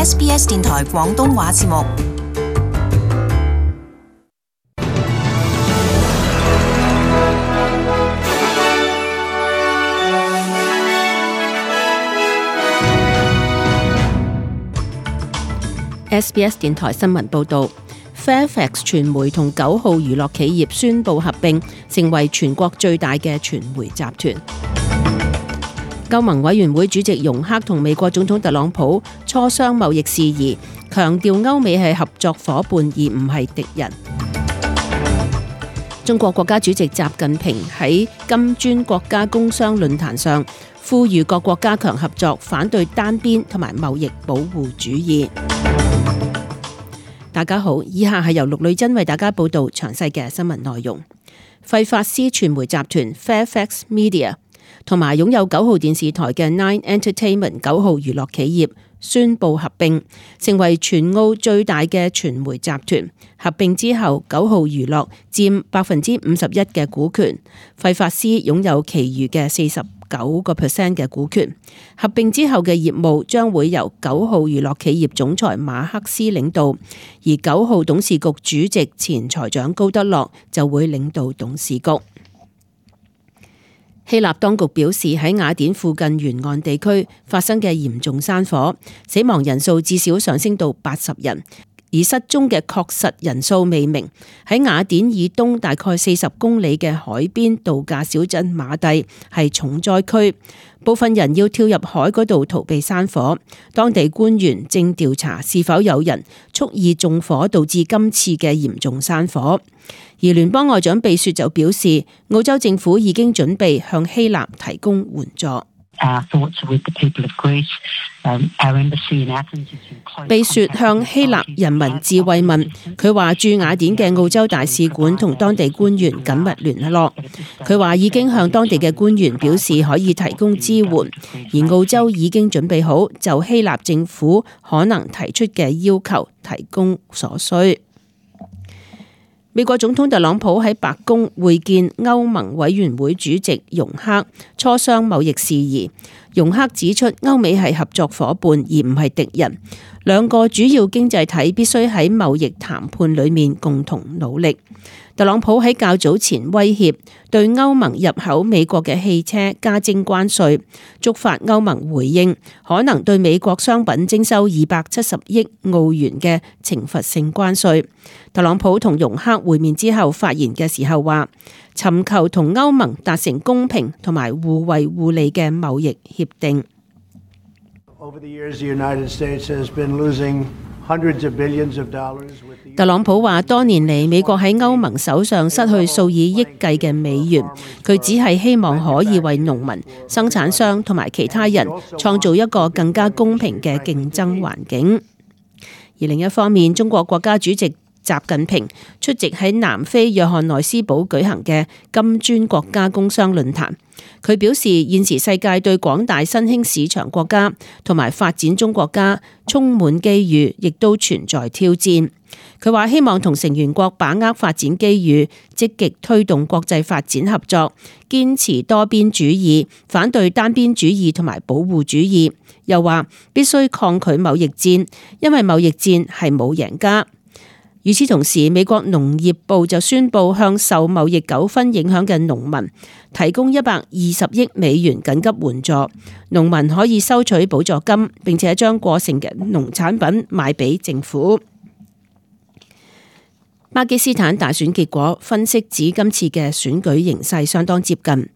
SBS 電台廣東話節目。SBS 電台新聞報導 ，Fairfax 傳媒同9號娛樂企業宣布合併，成為全國最大嘅傳媒集團。歐盟委員會主席容克同美國總統特朗普磋商貿易事宜，強調歐美係合作夥伴而唔係敵人。中國國家主席習近平喺金磚國家工商論壇上呼籲各國加強合作，反對單邊同埋貿易保護主義。大家好，以下係由陸女珍為大家報道詳細嘅新聞內容。費法斯傳媒集團 Fairfax Media 同埋擁有9號電視台嘅 Nine Entertainment 9號娛樂企業宣布合併，成為全澳最大嘅傳媒集團。合併之後，9號娛樂佔51%嘅股權，費法斯擁有其餘嘅49% 嘅股權。合併之後嘅業務將會由9號娛樂企業總裁馬克思領導，而9號董事局主席前財長高德洛就會領導董事局。希臘當局表示，喺雅典附近沿岸地區發生嘅嚴重山火，死亡人數至少上升到80人，而失蹤嘅確實人數未明。喺雅典以東大概40公里嘅海邊度假小鎮馬蒂係重災區，部分人要跳入海嗰度逃避山火。當地官員正調查是否有人蓄意縱火導致今次嘅嚴重山火。而聯邦外長秘書就表示，澳洲政府已經準備向希臘提供援助。秘書向希臘人民致慰問，佢話駐雅典嘅澳洲大使館同當地官員緊密聯絡。佢話已經向當地嘅官員表示可以提供支援，而澳洲已經準備好就希臘政府可能提出嘅要求提供所需。美國總統特朗普喺白宮會見歐盟委員會主席容克，磋商貿易事宜。容克指出，歐美係合作夥伴而唔係敵人，兩個主要經濟體必須喺貿易談判裏面共同努力。特朗普喺較早前威脅對歐盟入口美國嘅汽車加徵關稅，觸發歐盟回應，可能對美國商品徵收270億澳元嘅懲罰性關稅。特朗普同容克會面之後發言嘅時候話，尋求同歐盟達成公平同埋互惠互利嘅貿易協定。特朗普話，多年嚟美國喺歐盟手上失去數以億計嘅美元，佢只係希望可以為農民、生產商同埋其他人創造一個更加公平嘅競爭環境。而另一方面，中國國家主席習近平出席喺南非約翰內斯堡舉行嘅金磚國家工商論壇，佢表示現時世界對廣大新興市場國家同埋發展中國家充滿機遇，亦都存在挑戰。佢話希望同成員國把握發展機遇，積極推動國際發展合作，堅持多邊主義，反對單邊主義同埋保護主義。又話必須抗拒貿易戰，因為貿易戰係冇贏家。與此同時，美國農業部就宣布向受貿易糾紛影響嘅農民提供120億美元緊急援助，農民可以收取補助金，並且將過剩嘅農產品賣俾政府。巴基斯坦大選結果分析指，今次嘅選舉形勢相當接近。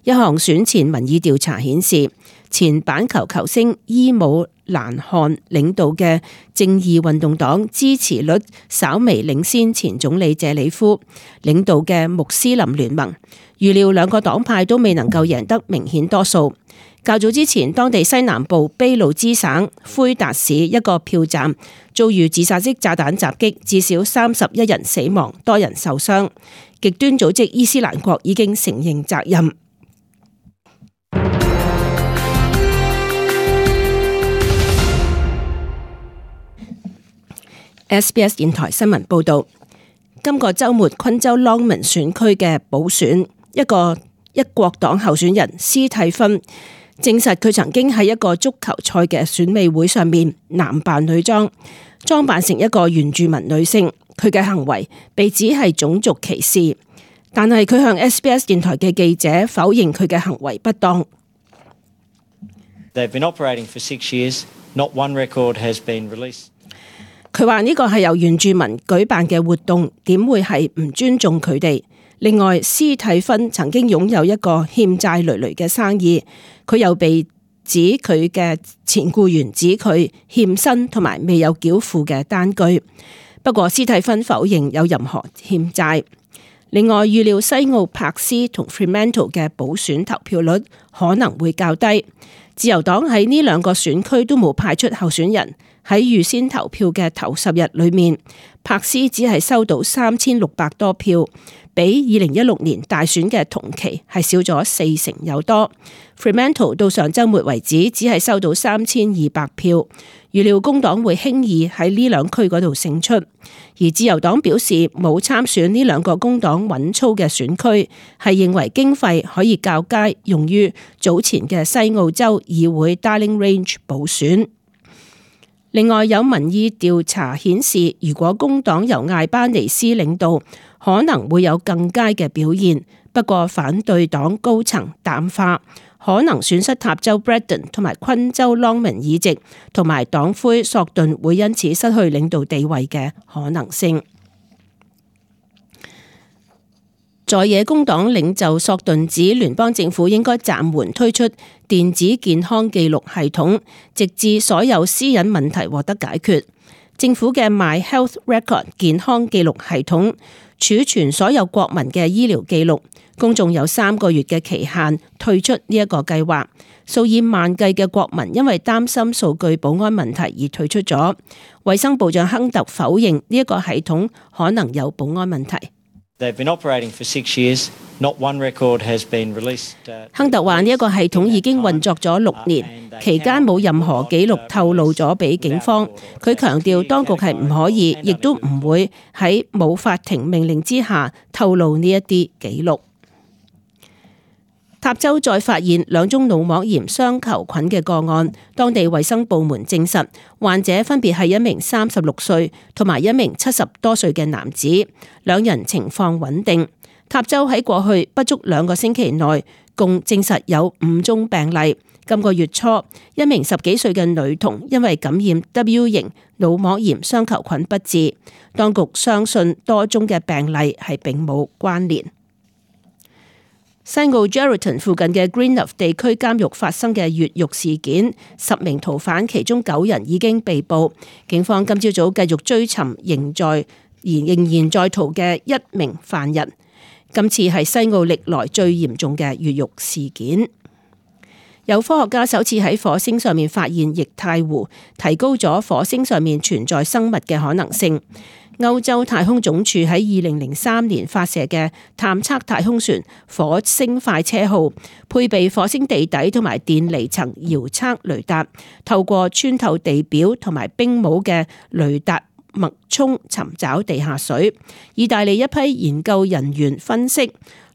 一項選前民意調查顯示，前板球球星伊姆蘭汗領導嘅正義運動黨支持率稍微領先前總理謝里夫領導嘅穆斯林聯盟。預料兩個黨派都未能夠贏得明顯多數。較早之前，當地西南部卑路支省灰達市一個票站遭遇自殺式炸彈襲擊，至少31人死亡，多人受傷。極端組織伊斯蘭國已經承認責任。SBS 電台新聞報道，今個週末昆州 Longman 選區嘅補選，一個一國黨候選人斯蒂芬證實佢曾經喺一個足球賽嘅選美會上面男扮女裝，裝扮成一個原住民女性。佢嘅行為被指係種族歧視，但係佢向 SBS 電台嘅記者否認佢嘅行為不當。They've been operating for 6 years. Not one record has been released. 佢話呢個係由原住民舉辦嘅活動，點會係唔尊重佢哋？另外，斯蒂芬曾經擁有一個欠債累累嘅生意，佢又被指佢嘅前僱員指佢欠薪同埋未有繳付嘅單據。不過斯蒂芬否認有任何欠債。另外，預料西澳柏斯同 Fremantle 嘅補選投票率可能會較低。自由黨喺呢兩個選區都冇派出候選人。喺預先投票嘅頭10日裏面，柏斯只係收到3600多票，比2016年大選嘅同期係少咗40%有多。Fremantle 到上週末為止只係收到3200票，預料工黨會輕易喺呢兩區嗰度勝出。而自由黨表示冇參選呢兩個工黨穩操嘅選區，係認為經費可以較佳用於早前嘅西澳洲議會 Darling Range 補選。另外有民意調查顯示，如果工黨由艾巴尼斯領導，可能會有更佳嘅表現。不過反對黨高層淡化可能損失塔州 Braddon 同埋昆州 Longman 議席，同埋黨魁索頓會因此失去領導地位嘅可能性。在野工黨領袖索頓指聯邦政府應該暫緩推出電子健康記錄系統，直至所有私隱問題獲得解決。政府嘅 My Health Record 健康記錄系統儲存所有國民嘅醫療記錄，公眾有3個月嘅期限退出呢一個計劃。數以萬計嘅國民因為擔心數據保安問題而退出咗。衛生部長亨特否認呢一個系統可能有保安問題。They've been operating for 6 years. Not one record has been released. 亨特話呢一個系統已經運作咗6年，期間冇任何記錄透露咗俾警方。佢強調當局係唔可以，亦都唔會喺冇法庭命令之下透露呢一啲記錄。塔州再發現2宗腦膜炎雙球菌嘅個案，當地衛生部門證實患者分別係一名36歲同埋一名70多歲嘅男子，2人情況穩定。塔州喺過去不足2個星期內共證實有5宗病例。今個月初，一名10幾歲嘅女童因為感染 W 型腦膜炎雙球菌不治，當局相信多宗嘅病例係並冇關聯。西澳 Geraldton 附近嘅 Greenup 地區監獄發生嘅越獄事件，10名逃犯其中9人已經被捕。警方今朝早繼續追尋仍然在逃嘅1名犯人。今次係西澳歷來最嚴重嘅越獄事件。有科學家首次喺火星上面發現液態湖，提高咗火星上面存在生物嘅可能性。歐洲太空總署喺2003年發射嘅探測太空船火星快車號，配備火星地底同埋電離層遙測雷達，透過穿透地表同埋冰帽嘅雷達脈衝尋找地下水。意大利一批研究人員分析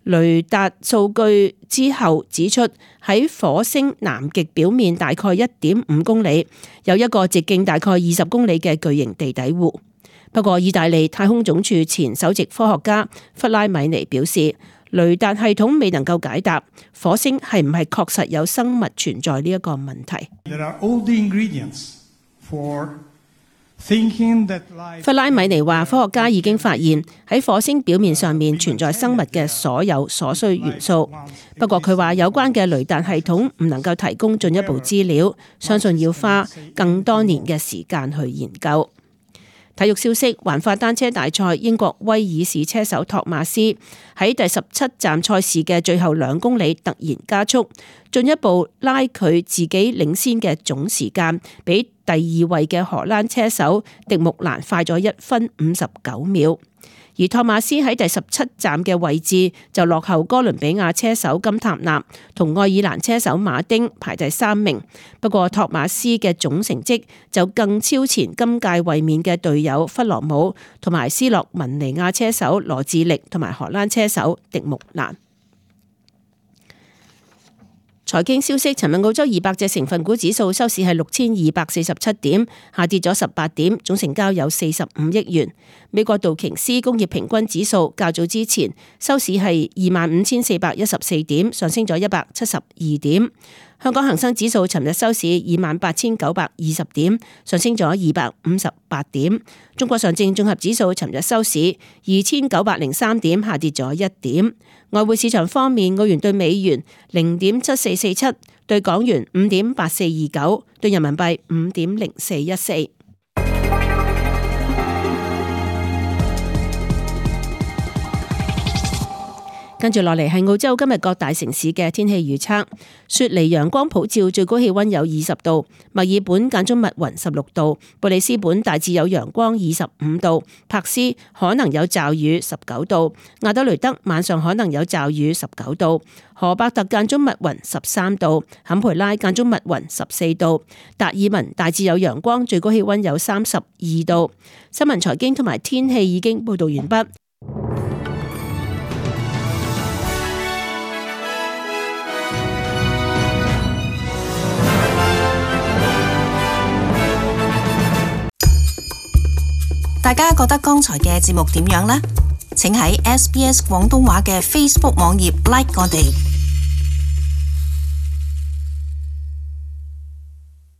雷達數據之後指出，喺火星南極表面大概 1.5 公里有一個直徑大概20公里嘅巨型地底湖。不過，意大利太空總署前首席科學家弗拉米尼表示，雷達系統未能夠解答火星係唔係確實有生物存在呢一個問題。弗拉米尼話，科學家已經發現喺火星表面上面存在生物嘅所有所需元素。不過佢話有關嘅雷達系統唔能夠提供進一步資料，相信要花更多年嘅時間去研究。體育消息，環法單車大賽，英國威爾士車手托馬斯喺第17站賽事嘅最後2公里突然加速，進一步拉佢自己領先嘅總時間，比第2位嘅荷蘭車手迪木蘭快咗1分59秒。而托馬斯喺第17站嘅位置就落後哥倫比亞車手金塔納同愛爾蘭車手馬丁排第3名。不過托馬斯嘅總成績就更超前今屆衛冕嘅隊友弗羅姆同埋斯洛文尼亞車手羅智力同埋荷蘭車手迪木蘭。財經消息，尋日澳洲200隻成分股指數收市係6247點，下跌咗18點，總成交有45億元。美國道瓊斯工業平均指數較早之前收市係25414點，上升咗172點。香港恒生指數尋日收市28920點，上升咗258點。中國上證綜合指數尋日收市2903點，下跌咗1點。外匯市場方面，澳元對美元0.7447，對港元5.8429，對人民幣5.0414。跟住落嚟係澳洲今日各大城市嘅天氣預測。雪梨陽光普照，最高氣溫有20度；墨爾本間中密雲16度；布里斯本大致有陽光25度；柏斯可能有驟雨19度；亞德雷德晚上可能有驟雨19度；荷伯特間中密雲13度；坎培拉間中密雲14度；達爾文大致有陽光，最高氣溫有32度。新聞財經同埋天氣已經報道完畢。大家覺得剛才嘅節目點樣呢？請喺SBS 廣東話嘅 Facebook 網頁 like 我哋。